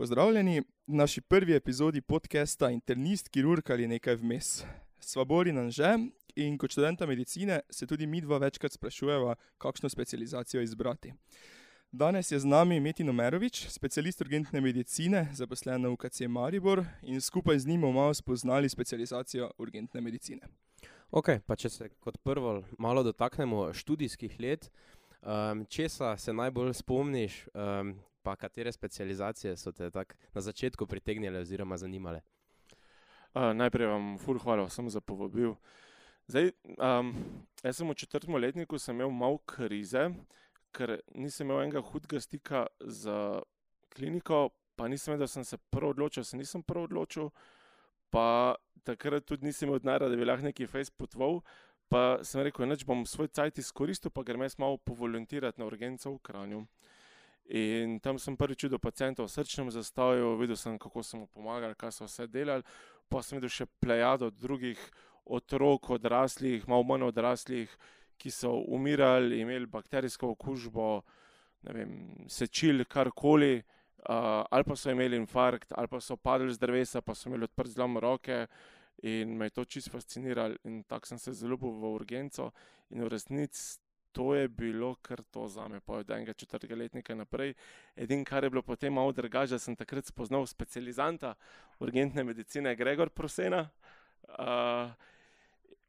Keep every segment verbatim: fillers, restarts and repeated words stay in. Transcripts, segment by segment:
Pozdravljeni v naši prvi epizodi podcasta Internist, kirurg ali nekaj vmes. Sva Borin Anže in kot študenta medicine se tudi midva večkrat sprašujeva, kakšno specializacijo izbrati. Danes je z nami Metin Omerovič, specialist urgentne medicine, zaposlen na U K C Maribor in skupaj z njim bomo malo spoznali specializacijo urgentne medicine. Ok, pa če se kot prvo malo dotaknemo študijskih let, um, česa se najbolj spomniš, um, pa katere specializacije so te tak na začetku pritegnile oziroma zanimale? Uh, najprej vam ful hvala vsem za povabil. Zdaj, um, jaz sem v četrtem letniku sem imel malo krize, ker nisem imel enega hudega stika z kliniko, pa nisem vedel, da sem se prav odločil, se nisem prav odločil, pa takrat tudi nisem imel denarja, da bi lahko neki fejs potoval, pa sem rekel, nič bom svoj cajt izkoristil, pa grem jaz malo povolontirati na urgenco v Kranju. In tam sem prvič videl pacienta v srčnem zastoju, videl sem, kako so mu pomagali, kaj so vse delali, pa sem videl še plejado drugih otrok, odraslih, malo manj odraslih, ki so umirali, imeli bakterijsko okužbo, ne vem, sečili karkoli, uh, ali pa so imeli infarkt, ali pa so padli z drevesa, pa so imeli odprt zlom roke in me je to čisto fasciniralo in tako sem se zaljubil v urgenco in v resnici to je bilo kar to zame, pa od enega četrtega letnika naprej. Edin, kar je bilo potem malo drugače, da sem takrat spoznal specializanta urgentne medicine Gregor Prosena. Uh,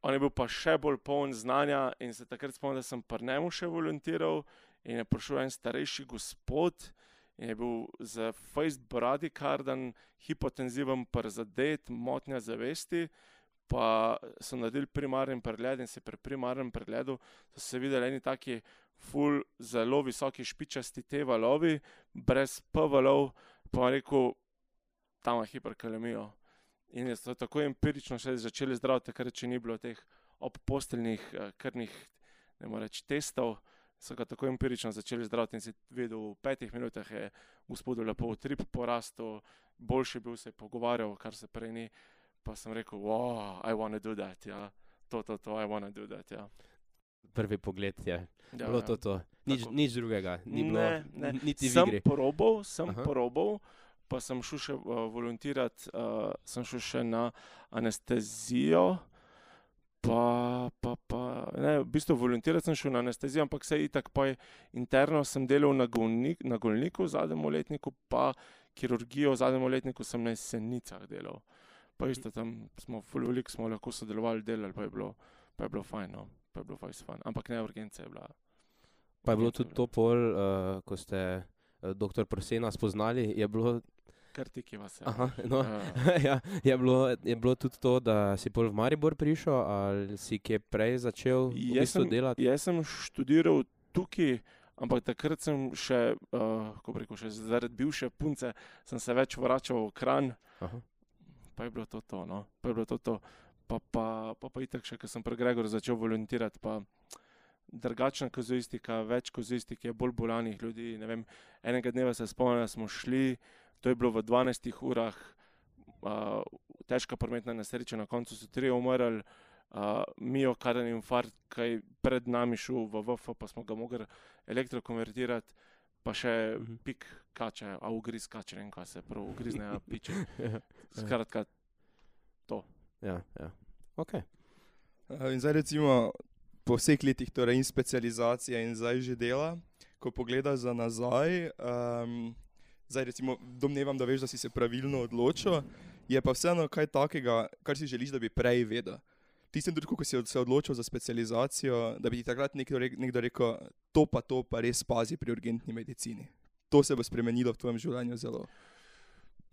on je bil pa še bolj poln znanja in se takrat spomnim, da sem pri njemu še volontiral in je prišel en starejši gospod in je bil za fejst bradikardan, hipotenziven prizadet, motnja zavesti, pa so naredili primarni pregled in se pri primarnem pregledu so se videli eni taki ful zelo visoki špičasti T valovi, brez P valov, pa je rekel, tam je hiperkalemijo. In so tako empirično še začeli zdraviti, takrat, če ni bilo teh obposteljnih krvnih, ne morem reči, testov, so ga tako empirično začeli zdraviti in si videl, v petih minutah je gospodu lepo utrip porastel, boljši bil, se je pogovarjal, kar se prej ni. Pa sem rekel, wow, I wanna do that, ja. To, to, to, I wanna do that, ja. Prvi pogled je Ja, bilo ja. to, to. Nič, nič drugega, ni bilo Ne, ne. niti v Sem igri. probal, sem Aha. probal, pa sem šel še uh, volontirati, uh, sem šel še na anestezijo, pa, pa, pa, ne, v bistvu volontirati sem šel na anestezijo, ampak se itak pa je interno sem delal na, golnik, na Golniku v zadnjem letniku, pa kirurgijo v zadnjem letniku sem na Jesenicah delal. Pa isto tam smo ful veliko smo lahko sodelovali, delali, pa je bilo, pa je bilo fajn, no. Pa je bilo fajn fajn. Ampak ne, urgenca je bila. Pa je bilo urgenca tudi to pol, uh, ko ste uh, doktor Prosena spoznali, je bilo, Kar tiki vas je. aha, no, Ja. ja, je bilo, je bilo tudi to, da si pol v Maribor prišel, ali si kje prej začel v Jaz bistvu sem, delati? jaz sem študiral tukaj, ampak takrat sem še, uh, kako bi rekel, še zaradi bivše punce, sem se več vračal v Kranj. Aha. Pa je bilo to to, no. Pa je bilo to to. Pa pa, pa, pa itak še, ko sem pri Gregor začel volontirati, pa drugačna kazuistika, več kazuistik je, bolj bolanih ljudi, ne vem. Enega dneva se spomnim, da smo šli, to je bilo v dvanajstih urah, uh, težka prometna nesreča, na koncu so trije umrli, uh, miokarden infarkt, kaj pred nami šel v V F, pa smo ga mogli elektrokonvertirati, pa še Mhm. pik kače, a ugriz kače, ne vem, kaj se prav ugrizne, a piče. Skratka, to. Ja, ja. Ok. Uh, In zdaj recimo po vseh letih torej in specializacije in zdaj že dela, ko pogledaš za nazaj, um, zdaj recimo domnevam, da veš, da si se pravilno odločil, je pa vseeno kaj takega, kar si želiš, da bi prej vedel. Tistem trenutku, ko si se odločil za specializacijo, da bi ti takrat nekdo, re, nekdo rekel, to pa to pa res pazi pri urgentni medicini. To se bo spremenilo v tvojem življenju zelo.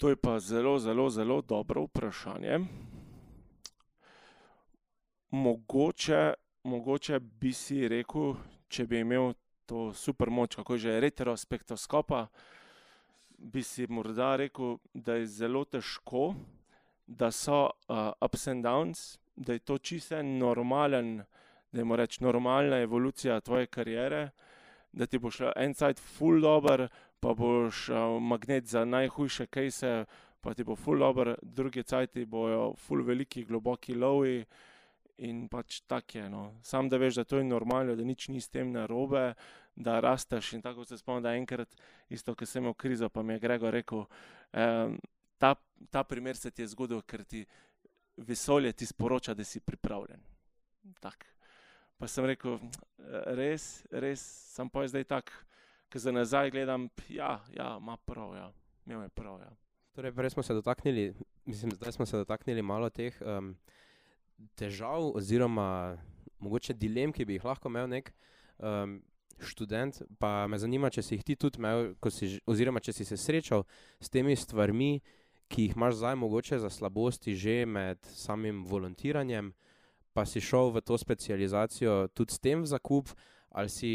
To je pa zelo, zelo, zelo dobro vprašanje. Mogoče, mogoče bi si rekel, če bi imel to super moč, kako je že retrospektoskopa, bi si morda rekel, da je zelo težko, da so uh, ups and downs, da je to čisto normalen, dajmo reči, normalna evolucija tvoje kariere, da ti bo šlo en cajt ful dober, pa boš uh, magnet za najhujše kejse, pa ti bo ful dober, drugi cajti bojo ful veliki, globoki lowi in pač tak je, no. Sam da veš, da to je normalno, da nič ni s tem narobe, da rasteš in tako se spomnim, da enkrat isto, ko sem imel krizo, pa mi je Gregor rekel, Um, ta, ta primer se ti je zgodil, ker ti vesolje ti sporoča, da si pripravljen. Tak. Pa sem rekel, res, res, sem pa zdaj tak, ker za nazaj gledam, ja, ja, ima prav, ja, imel je prav, ja. Torej, prej smo se dotaknili, mislim, zdaj smo se dotaknili malo teh um, težav oziroma mogoče dilem, ki bi jih lahko imel nek um, študent, pa me zanima, če si jih ti tudi imel, ko si, oziroma če si se srečal s temi stvarmi, ki jih imaš zdaj mogoče za slabosti že med samim volontiranjem, pa si šel v to specializacijo tudi s tem v zakup, ali si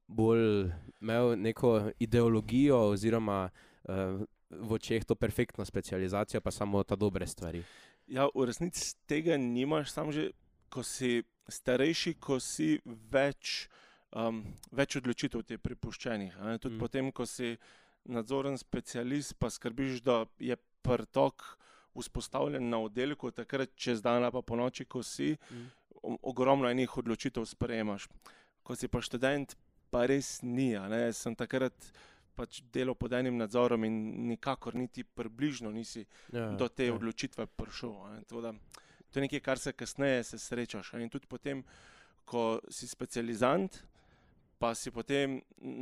bolj imel neko ideologijo oziroma uh, v očeh to perfektno specializacijo, pa samo ta dobre stvari. Ja, v resnici tega nimaš, samo že, ko si starejši, ko si več, um, več odločitev ti je pripuščenih. Ne? Tudi mm. potem, ko si nadzoren specialist, pa skrbiš, da je pretok vzpostavljen na oddelku, takrat čez dan pa po noči, ko si, mm. ogromno enih odločitev sprejemaš. Ko si pa študent, pa res ni. Ne? Sem takrat pač delal pod enim nadzorom in nikakor niti približno nisi ja, do te ja. odločitve prišel. To, da, to je nekaj, kar se kasneje se srečaš. In tudi potem, ko si specializant, pa si potem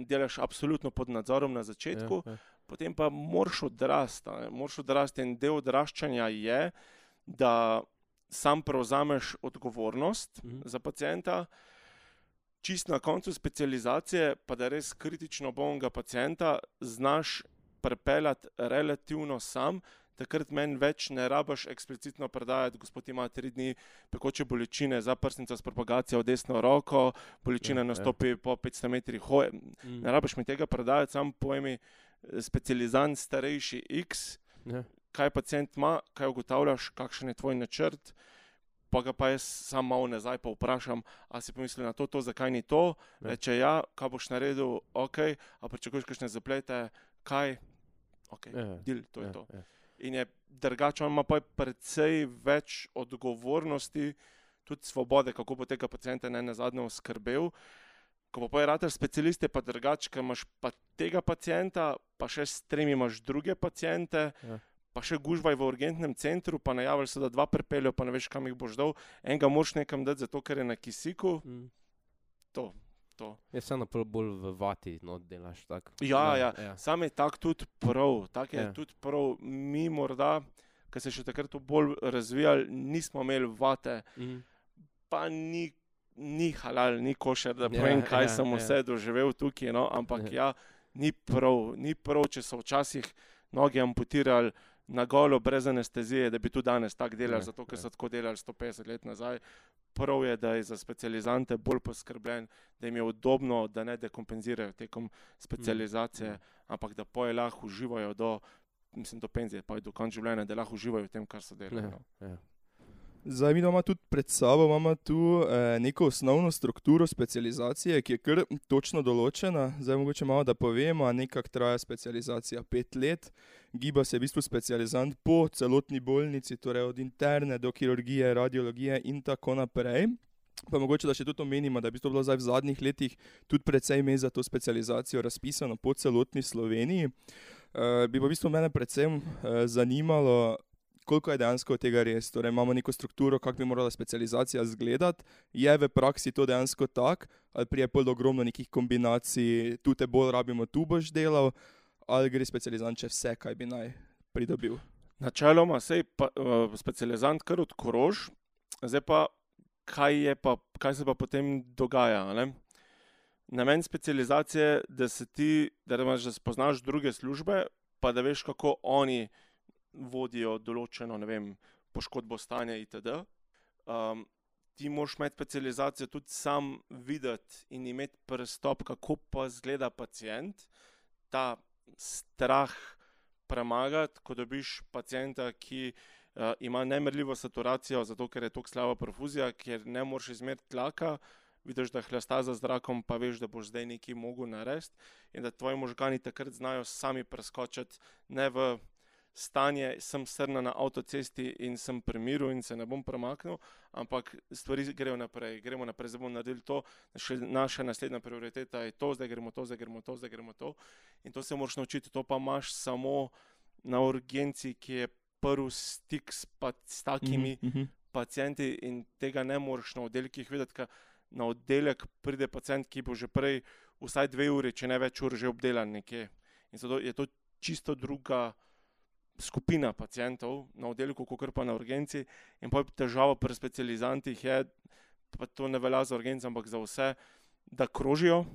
delaš absolutno pod nadzorom na začetku, ja, ja. potem pa moraš odrasti. Moraš odrasti in del odraščanja je, da sam prevzameš odgovornost mhm. za pacienta, čist na koncu specializacije, pa da res kritično bolnega pacienta znaš prepeljati relativno sam, takrat meni več ne rabaš eksplicitno predajati, gospod ima tri dni pekoče bolečine, zaprsnica s propagacijo v desno roko, bolečina ja, nastopi ja. po petsto metrih hoje. Mm. Ne rabaš mi tega predajati, sam pojmi specializant starejši X, ja. kaj pacient ima, kaj ugotavljaš, kakšen je tvoj načrt, pa ga pa jaz sam malo nazaj pa vprašam, a si pomislil na to, to, zakaj ni to, ja. reče ja, kaj boš naredil, ok, a pričakuješ kakšne zaplete, kaj, ok, ja. deal, to je ja, to. Ja. In je drugače, on ima pa precej več odgovornosti, tudi svobode, kako bo tega pacienta ne nazadnje oskrbel. Ko pa je rater specialist, je pa drugače, ker imaš pa tega pacienta, pa še s tremi imaš druge paciente, ja. pa še gužvaj v urgentnem centru, pa najavili so, da dva pripeljo, pa ne veš, kam jih boš dal. Enega moraš nekam dati, zato ker je na kisiku. Mm. To, to. Je samo bolj v vati, no, delaš tako. Ja, ja, ja. Sam je tak tudi prav. Tak je ja. tudi prav. Mi morda, ker se še takrat bolj razvijali, nismo imeli vate, mm. pa ni, ni halal, ni košer, da povem, ja, kaj ja, sem vse ja. doživel tukaj, no, ampak ja. ja, ni prav, ni prav, če so včasih noge amputirali na golo, brez anestezije, da bi tudi danes tako delali, ne, zato ker so tako delali sto petdeset let nazaj. Prav je, da je za specializante bolj poskrbljen, da jim je udobno, da ne dekompenzirajo tekom specializacije, mm. ampak da poje lahko uživajo do, mislim, do penzije, pa je do konca življenja, da lahko uživajo v tem, kar so delali. Ne, no. Zdaj, mi imamo tudi pred sabo imamo tu eh, neko osnovno strukturo specializacije, ki je kar točno določena. Zdaj, mogoče malo da povemo, nekako traja specializacija pet let. Giba se v bistvu specializant po celotni bolnici, torej od interne do kirurgije, radiologije in tako naprej. Pa mogoče, da še tudi omenimo, da je v bistvu bilo zdaj v zadnjih letih tudi precej mest za to specializacijo razpisano po celotni Sloveniji. Eh, bi pa v bistvu mene predvsem eh, zanimalo, koliko je dejansko tega res. Torej, imamo neko strukturo, kako bi morala specializacija izgledati. Je v praksi to dejansko tak, ali prije pol ogromno nekih kombinacij, tu te bolj rabimo, tu boš delal, ali gre specializant če vse, kaj bi naj pridobil? Načeloma se je uh, specializant kar odkrož, zdaj pa kaj, je pa, kaj se pa potem dogaja. Ne? Namen specializacije, da se ti, da imaš, da spoznaš druge službe, pa da veš, kako oni vodijo določeno, ne vem, poškodbo stanja itd. Um, ti moraš imeti specializacijo tudi sam videti in imeti pristop, kako pa izgleda pacient, ta strah premagati, ko dobiš pacienta, ki uh, ima nemerljivo saturacijo, zato ker je toliko slaba perfuzija, ker ne moreš izmeriti tlaka, vidiš, da hlasta za zrakom, pa veš, da boš zdaj nekaj mogel narediti in da tvoji možgani takrat znajo sami preskočiti, ne v stanje, sem srna na avtocesti in sem pri miru in se ne bom premaknil, ampak stvari grejo naprej, gremo naprej, zdaj bomo naredili to, naša naslednja prioriteta je to, zdaj gremo to, zdaj gremo to, zdaj gremo to in to se moraš naučiti, to pa imaš samo na urgenci, ki je prvi stik s, pa, s takimi Mhm. pacienti in tega ne moreš na oddelkih videti, ker na oddelek pride pacient, ki bo že prej vsaj dve uri, če ne več ur že obdelan nekje. In zato je to čisto druga skupina pacientov na oddelku, kakor pa na urgenci. In pa težava pri specializantih je, pa to ne velja za urgenci, ampak za vse, da krožijo,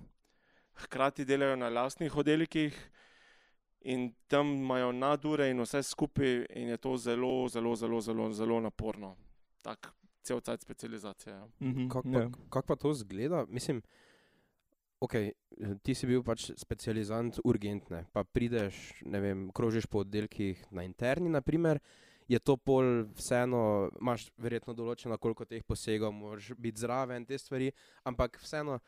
hkrati delajo na lastnih oddelkih in tam imajo nadure in vse skupaj in je to zelo, zelo, zelo, zelo, zelo naporno. Tak cel cajt specializacija. Mhm. Kako Ja. pa, kak pa to zgleda? Mislim, ok, ti si bil pač specializant urgentne, pa prideš, ne vem, krožiš po oddelkih na interni, naprimer, je to pol vseeno, imaš verjetno določeno, koliko teh posegov, moraš biti zraven, te stvari, ampak vseeno,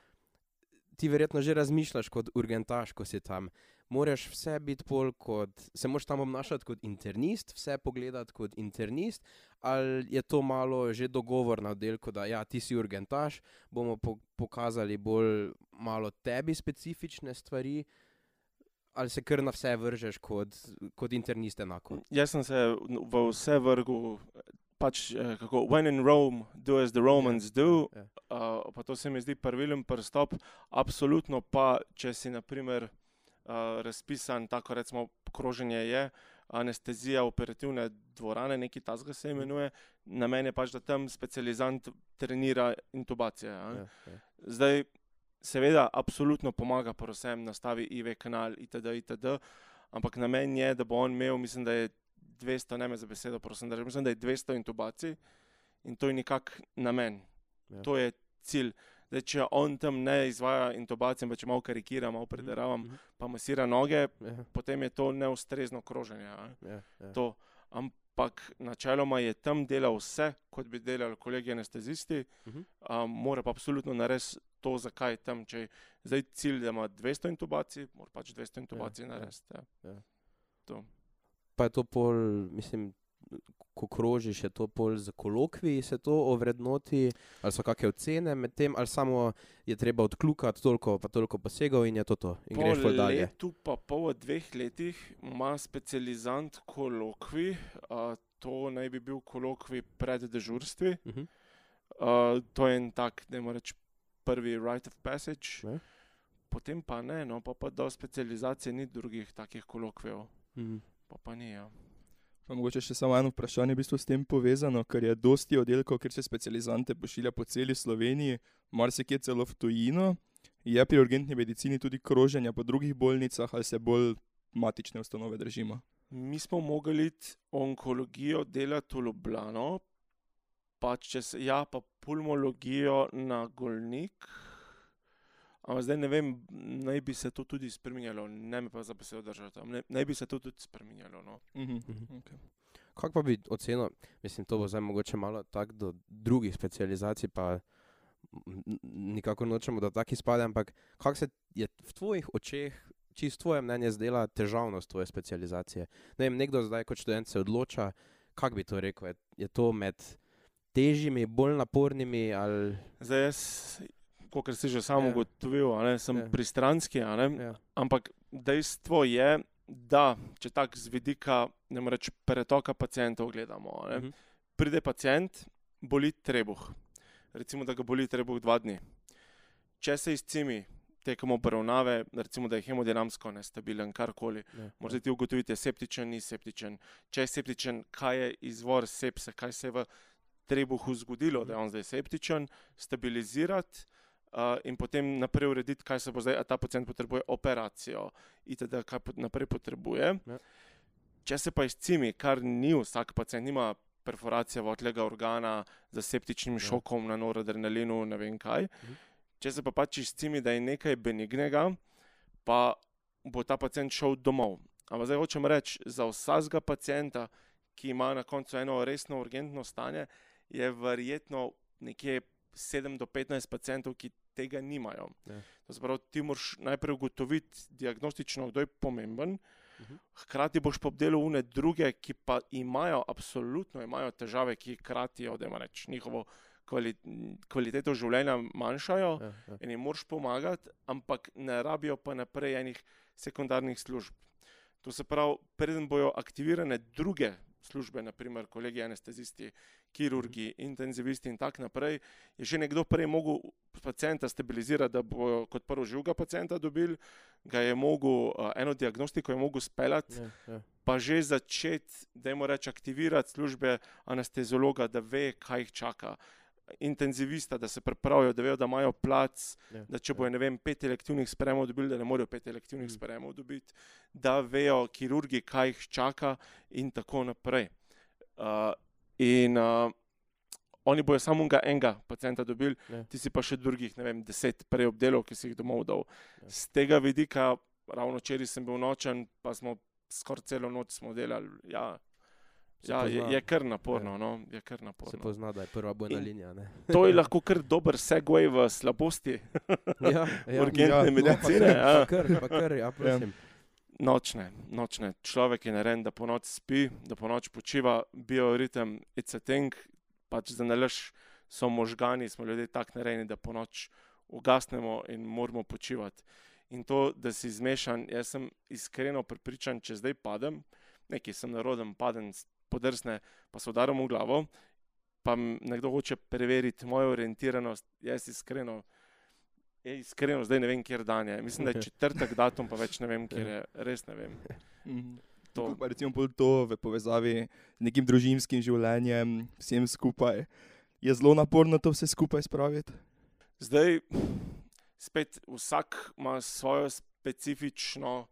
ti verjetno že razmišljaš kot urgentaš, ko si tam. Moraš vse biti pol kot, se moraš tam obnašati kot internist, vse pogledati kot internist, ali je to malo že dogovor na oddelku, da ja, ti si urgentaš, bomo po pokazali bolj malo tebi specifične stvari, ali se kar na vse vržeš kot, kot internist enako? Jaz sem se v vse vrgel, pač eh, kako, when in Rome, do as the Romans do, Ja. uh, pa to se mi zdi pravilen pristop, absolutno pa, če si naprimer uh, razpisan, tako recimo kroženje je, anestezija operativne dvorane, nekaj tasga se imenuje, namen je pač, da tam specializant trenira intubacije. a. Ja, ja. Zdaj, seveda, absolutno pomaga pri vsem, nastavi I V kanal itd. itd. Ampak namen je, da bo on imel, mislim, da je dvesto, ne me za besedo, prosim, da mislim, da je dvesto intubacij in to je nekak namen. Ja. To je cilj. Zdaj, če on tam ne izvaja intubacije, pa če malo karikira, malo prederavam, Mhm. pa masira noge, Ja, potem je to neustrezno kroženje. a. ja, ja. To. Ampak načeloma je tam delal vse, kot bi delali kolegi anestezisti, Mhm. um, mora pa absolutno narediti to, zakaj je tam. Če je zdaj cilj, da ima dvesto intubacij, mora pač dvesto intubacij ja. narediti. Ja. Ja. To. Pa je to pol, mislim, ko krožiš, je to pol za kolokviji, se to ovrednoti, ali so kakšne ocene med tem, ali samo je treba odkljukati toliko pa toliko posegov in je to to, in Po greš pol dalje. letu pa pol, dveh letih ima specializant kolokvij, uh, to naj bi bil kolokvij pred dežurstvi. Mhm. Uh, to je en tak, dajmo reči, prvi rite of passage. Ja. Potem pa ne, no, pa pa do specializacije ni drugih takih kolokvijev. Mhm. Pa pa ni, ja. Pa mogoče še samo eno vprašanje v bistvu s tem povezano, ker je dosti oddelkov, kjer se specializante pošilja po celi Sloveniji, marsikje celo v tujino. Je pri urgentni medicini tudi kroženja po drugih bolnicah ali se bolj matične ustanove držimo? Mi smo mogli iti onkologijo delati v Ljubljano, pa čez, ja, pa pulmologijo na Golnik. Ampak zdaj ne vem, naj bi se to tudi spreminjalo, ne me pa za besedo držati, ne, naj bi se to tudi spreminjalo. No. Mhm. Mhm. Okay. Kako pa bi ocenil, mislim, to bo zdaj mogoče malo tako do drugih specializacij, pa n- n- nikakor nočemo, da taki spade, ampak kako se je v tvojih očeh, čisto tvoje mnenje zdela težavnost tvoje specializacije? Ne vem, nekdo zdaj kot študent se odloča, kako bi to rekel, je, je to med težjimi, bolj napornimi ali... Zdaj jaz, kot si že sam Ja. ugotovil, a ne, sem Ja. pristranski, a ne, Ja. ampak dejstvo je, da če tako z vidika, ne morem reči, pretoka pacientov gledamo, a ne, Mhm. pride pacient, boli trebuh. Recimo, da ga boli trebuh dva dni. Če se izcimi tekom obravnave, recimo, da je hemodinamsko nestabilen, karkoli, Ja. morate ti ugotoviti, je septičen, ni septičen. Če je septičen, kaj je izvor sepse, kaj se je v trebuhu zgodilo, da je on zdaj septičen, stabilizirati uh, in potem naprej urediti, kaj se bo zdaj, a ta pacient potrebuje operacijo itd., kaj pot- naprej potrebuje. Ja. Če se pa izcimi, kar ni vsak pacient, nima perforacija votlega organa z septičnim Ja. šokom na noradrenalinu, ne vem kaj. Mhm. Če se pa pač izcimi, da je nekaj benignega, pa bo ta pacient šel domov. Ampak zdaj hočem reči, za vsakega pacienta, ki ima na koncu eno resno urgentno stanje, je verjetno nekje sedem do petnajst pacientov, ki tega nimajo. Ja. To se pravi, ti moraš najprej ugotoviti diagnostično, kdo je pomemben, hkrati boš pa obdelal une druge, ki pa imajo, absolutno imajo težave, ki kratijo, da ima reč, njihovo kvali, kvaliteto življenja manjšajo Ja, ja. in jim moraš pomagati, ampak ne rabijo pa naprej enih sekundarnih služb. To se pravi, preden bojo aktivirane druge službe, naprimer kolegi anestezisti, kirurgi, intenzivisti in tak naprej, je že nekdo prej mogel pacienta stabilizirati, da bo kot prvo živega pacienta dobil, ga je mogel, eno diagnostiko je mogel speljati, Ja, ja. pa že začeti, dajmo reči, aktivirati službe anesteziologa, da ve, kaj jih čaka. Intenzivista, da se pripravijo, da vejo, da imajo plac, Ja, da če ja. bojo, ne vem, pet elektivnih sprejemov dobili, da ne morejo pet elektivnih Mm. sprejemov dobiti, da vejo kirurgi, kaj jih čaka in tako naprej. Uh, in uh, oni bojo samo enega, enega pacienta dobili, Ja. ti si pa še drugih, ne vem, deset prej obdelov, ki si jih domov dal. Ja. Z tega vidika, ravno včeraj sem bil nočen, pa smo skoraj celo noč smo delali, ja, Se ja je, pozna. je kar naporno, Ja. no, je kar Se naporno. pozna, da je prva bojna In- linija. Ne? To je lahko kar dober segway v slabosti Ja, ja. urgentne Ja, medicine. no, Ja. Pa kar, pa kar, ja, prosim. Nočne, nočne. Človek je narejen, da po noč spi, da po noč počiva, bioritem, it's a thing, pač za nalaž so možgani, smo ljudje tako narejeni, da po noč ugasnemo in moramo počivati. In to, da si zmešan, jaz sem iskreno prepričan, če zdaj padem, nekaj sem naroden, padem, podrsne, pa se udarim v glavo, pa m- nekdo hoče preveriti mojo orientiranost, jaz iskreno, jaz iskreno zdaj ne vem, kjer dan je. Mislim, da je četrtek datum, pa več ne vem, kjer je, res ne vem. Mhm. To, Kako pa recimo pol to v povezavi z nekim družinskim življenjem, vsem skupaj, je zelo naporno to vse skupaj spraviti? zdaj, spet vsak ima svojo specifično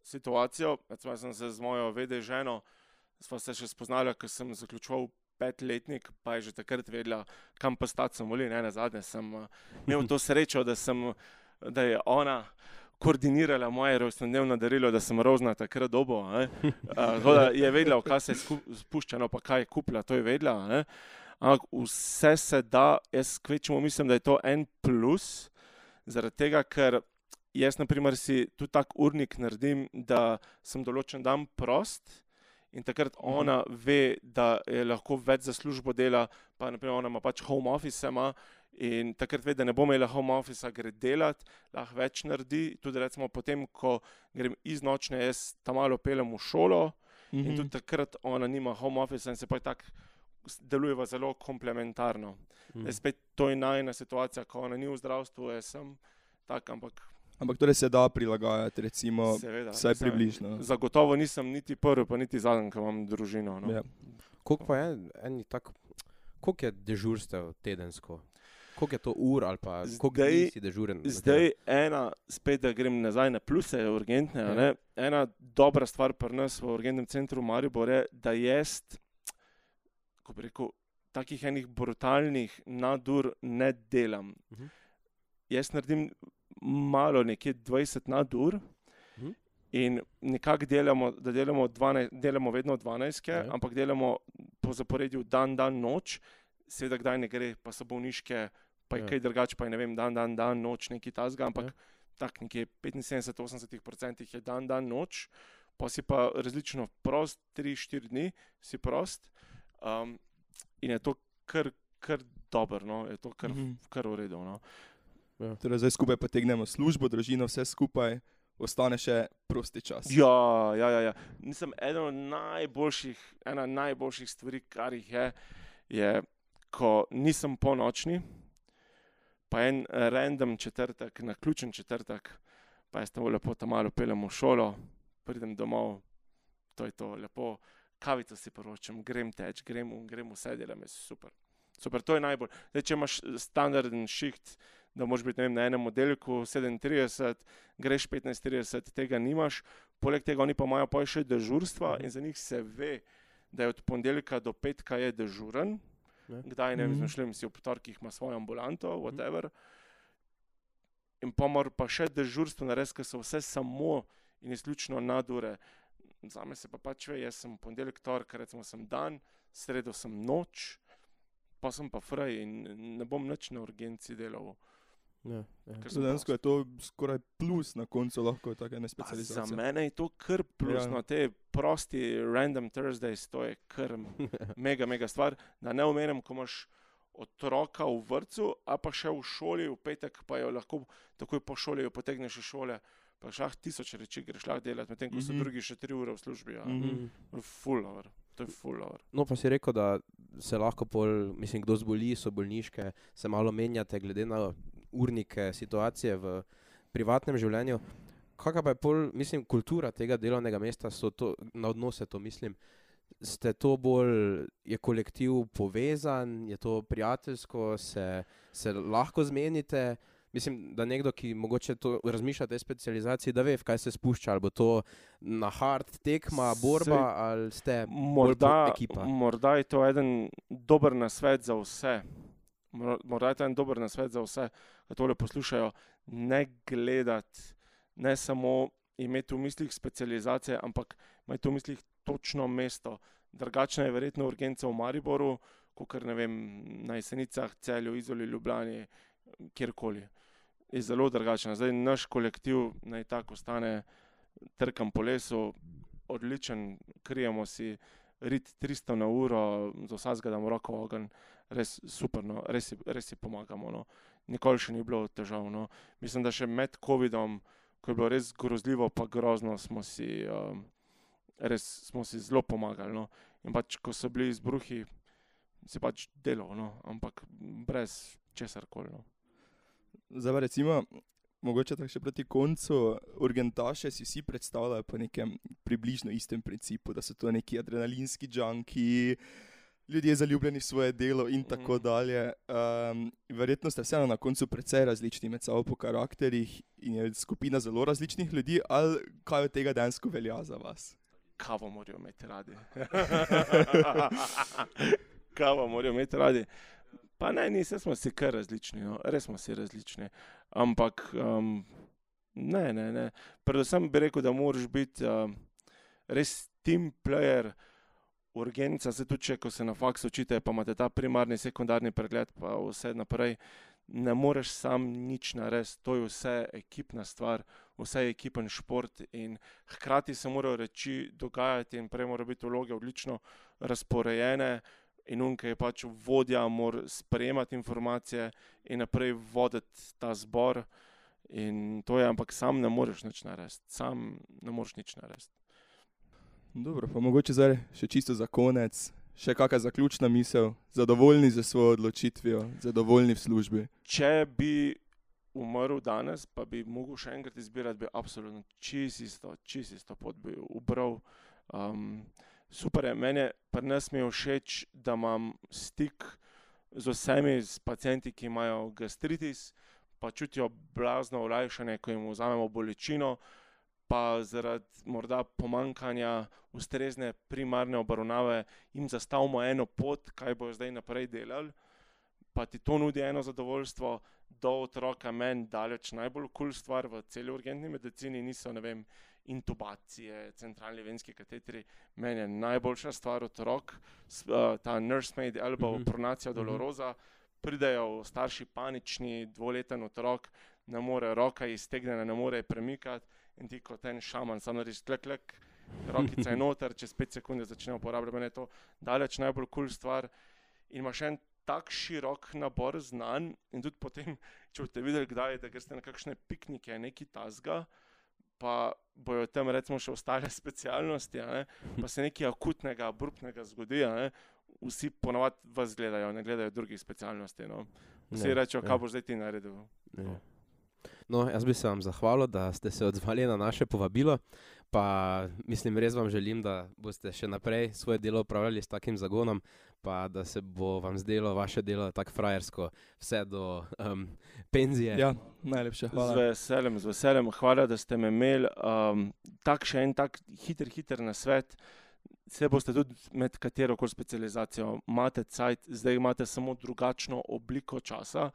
situacijo. Recimo, jaz sem se z mojo vede ženo, sva se še spoznala, ko sem zaključoval petletnik, pa je že takrat vedela, kam pa stati sem volil. Ne, nazadnje sem uh, imel to srečo, da, sem, da je ona koordinirala moje rojstnodnevno darilo, da sem rozna takrat dobo. Uh, da je vedela, v kaj se je sku- spuščeno, pa kaj je kupila, to je vedela. Ne. Ampak vse se da, jaz kvečemo mislim, da je to en plus, zaradi tega, ker jaz, na primer, si tudi tak urnik naredim, da sem določen dan prost in takrat ona ve, da je lahko več za službo dela, pa naprimer ona ima pač home office ima in takrat ve, da ne bo imela home office, gre delat, lahko več naredi, tudi recimo potem, ko grem iz nočne, jaz tam malo pelem v šolo in tudi takrat ona nima home office in se pa tako delujeva zelo komplementarno. Mm. Zdaj spet to je najna situacija, ko ona ni v zdravstvu, jaz sem tak, ampak Ampak torej se da prilagajati, recimo, seveda. vsaj mislim, približno. Zagotovo nisem niti prvi, pa niti zadnji, ko imam družino. No. Ja. Koliko pa je eni tak, koliko je dežurstev tedensko? Koliko je to ur ali pa koliko Zdaj- dni si dežuren? na Zdaj ena, spet da grem nazaj na pluse urgentne, a Ja. ne, ena dobra stvar pri nas v urgentnem centru Maribor je, da jaz, ko bi rekel, takih enih brutalnih nadur ne delam. Mhm. Jaz naredim malo, nekje dvajset nadur Mhm. in nekako delamo, da delamo, dvanajst, delamo vedno dvanajstke, Ja. ampak delamo po zaporedju dan, dan, noč, seveda kdaj ne gre, pa so bolniške, pa je Ja. kaj drugače, pa je ne vem, dan, dan, dan, noč, nekaj tasga, ampak Ja. tak nekje petinsedemdeset do osemdeset procent je dan, dan, noč, pa si pa različno prost, tri, štiri dni si prost um, in je to kar, kar dobro, no? Je to kar, Mhm. kar v redu. No? Torej zdaj skupaj potegnemo službo, družino, vse skupaj, ostane še prosti čas. Ja, ja, ja, ja. Nisem eden od najboljših, ena najboljših stvari, kar jih je, je, ko nisem ponočni, pa en random četrtek, na ključen četrtek, pa jaz tam lepo tam malo pelem v šolo, pridem domov, to je to, lepo kavico si poročam, grem teč, grem, v- grem vse delam, je super. Super, to je najbolj. Zdaj, če imaš standarden šiht, da moraš biti, ne vem, na enem oddelku sedemintrideset, greš petnajst trideset, tega nimaš. Poleg tega oni pa imajo pa še dežurstva in za njih se ve, da je od ponedeljka do petka je dežuren. Ja. Kdaj, ne vem, Mhm. izmišljujem si, ob torkih ima svojo ambulanto, whatever. In pa mora pa še dežurstvo narediti, ker so vse samo in izključno nadure. Zame se pa pač ve, jaz sem ponedeljek, torek, recimo sem dan, sredo sem noč, pa sem pa fraj in ne bom nič na urgenci delal. Ja, ja. Ker sem Dejansko je prost. to skoraj plus na koncu lahko take ene Pa za specializacije. mene je to kar plus, Ja. no, te prosti random Thursdays, to je kar mega, mega stvar, da ne omenim, ko imaš otroka v vrtcu, a pa še v šoli, v petek pa jo lahko takoj po šoli jo potegneš iz šole, pa šlah tisoč reči, greš lahko delati, medtem ko so Mhm. drugi še tri ure v službi. Ja. Mhm. Full hour, to je full hour. No, pa si rekel, da se lahko pol, mislim, kdo zboli, so bolniške, se malo menjate glede na urnike situacije v privatnem življenju. Kakva pa je pol, mislim, kultura tega delovnega mesta, so to, na odnose to mislim, ste to bolj, je kolektiv povezan, je to prijateljsko, se, se lahko zmenite? Mislim, da nekdo, ki mogoče to razmišlja o tej specializaciji, da ve, v kaj se spušča, ali bo to na hard tekma, borba, Sej, ali ste Morda, ekipa. morda je to eden dober nasvet za vse. Mor- Morda je to en dober nasvet za vse, ki tole poslušajo. Ne gledati, ne samo imeti v mislih specializacije, ampak imeti v mislih točno mesto. Drugačna je verjetno urgenca v Mariboru, kakor ne vem, na Jesenicah, Celju, Izoli, Ljubljani, kjerkoli. Je zelo drugačna. Zdaj naš kolektiv naj tako ostane trkam po lesu, odličen, krijemo si rit tristo na uro, za vsakega damo roko v ogenj, res super, no, res, si- res si pomagamo. No. Nikoli še ni bilo težav. No. Mislim, da še med covidom, ko je bilo res grozljivo pa grozno, smo si, um, res smo si zelo pomagali. No. In pač, ko so bili izbruhi, si pač delal, no, ampak brez česarkoli. No. Zdaj pa recimo, mogoče tako še proti koncu, urgentaše si vsi predstavljajo po nekem približno istem principu, da so to neki adrenalinski junki, ljudje zaljubljeni v svoje delo in tako Mhm. dalje. Um, verjetno ste vseeno na koncu precej različni med sabo po karakterih in je skupina zelo različnih ljudi, ali kaj od tega dejansko velja za vas? Kavo morajo imeti radi. Kavo morajo imeti radi. Pa ne, ni, saj smo si kar različni, no. Res smo si različni. Ampak um, ne, ne, ne. Predvsem bi rekel, da moraš biti um, res team player, urgenca, se tudi če, ko se na faksu učite, pa imate ta primarni, sekundarni pregled, pa vse naprej, ne moreš sam nič narediti, to je vse ekipna stvar, vse je ekipen šport in hkrati se morajo reči dogajati in prej morajo biti vloge odlično razporejene in on, ki je pač vodja, mora sprejemati informacije in naprej voditi ta zbor in to je, ampak sam ne moreš nič narediti, sam ne moreš nič narediti. Dobro, pa mogoče zdaj še čisto za konec, še kakšna zaključna misel, zadovoljni za svojo odločitvijo, zadovoljni v službi. Če bi umrl danes, pa bi mogel še enkrat izbirati, bi absolutno čisto isto, čisto isto pot bi ubral. Um, super je, meni je pri nas mi je všeč, da imam stik z vsemi s pacienti, ki imajo gastritis, pa čutijo blazno olajšanje, ko jim vzamemo bolečino, pa zaradi morda pomanjkanja ustrezne primarne obravnave jim zastavimo eno pot, kaj bojo zdaj naprej delali, pa ti to nudi eno zadovoljstvo, do otroka meni daleč najbolj kul stvar v celi urgentni medicini niso, ne vem, intubacije, centralni venski katetri, meni je najboljša stvar otrok, s- uh, ta nursemaid elbow, Mhm. pronacija dolorosa, pridejo starši panični, dvoleten otrok, ne more, roka je iztegnjena, ne more je premikati in ti kot en šaman samo narediš klek, klek, rokica je noter, čez pet sekunde začne uporabljati, meni je to daleč najbolj kul stvar in imaš en tak širok nabor znanj in tudi potem, če boste videli kdaj, da greste na kakšne piknike, neki tasga, pa bojo tam recimo še ostale specialnosti, a ne, pa se nekaj akutnega, abruptnega zgodi, a ne, vsi ponavadi vas gledajo, ne gledajo drugih specialnosti, no. Vsi Ja, rečejo, ja. kaj boš zdaj ti naredil. Ja. No, jaz bi se vam zahvalil, da ste se odzvali na naše povabilo, pa mislim, res vam želim, da boste še naprej svoje delo upravljali s takim zagonom, pa da se bo vam zdelo vaše delo tako frajersko vse do um, penzije. Ja, najlepša Z hvala. veseljem, z veseljem, hvala, da ste me imeli. Um, tak še en tak hiter, hiter nasvet. Se boste tudi med katero koli specializacijo, imate cajt, zdaj imate samo drugačno obliko časa.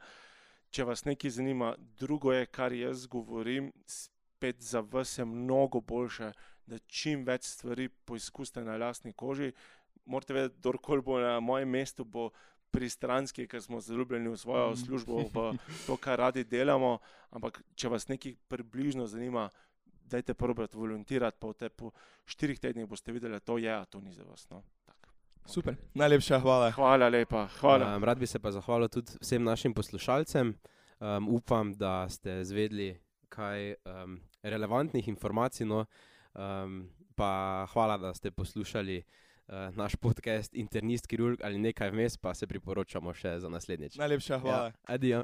Če vas nekaj zanima, drugo je, kar jaz govorim, spet za vas je mnogo boljše, da čim več stvari poizkusite na lastni koži. Morate vedeti, kdorkoli bo na mojem mestu, bo pristranski, ker smo zaljubljeni v svojo službo, v to, kar radi delamo, ampak če vas nekaj približno zanima, dajte probati volontirati, pa v te po štirih tednih boste videli, da to je, a to ni za vas. No? Tak. Super, okay. Najlepša hvala. Hvala lepa, hvala. Um, rad bi se pa zahvalil tudi vsem našim poslušalcem. Um, upam, da ste zvedli kaj um, relevantnih informacij, no, um, pa hvala, da ste poslušali uh, naš podcast Internist, kirurg ali nekaj vmes, pa se priporočamo še za naslednjič. Najlepša hvala. Ja, adijo.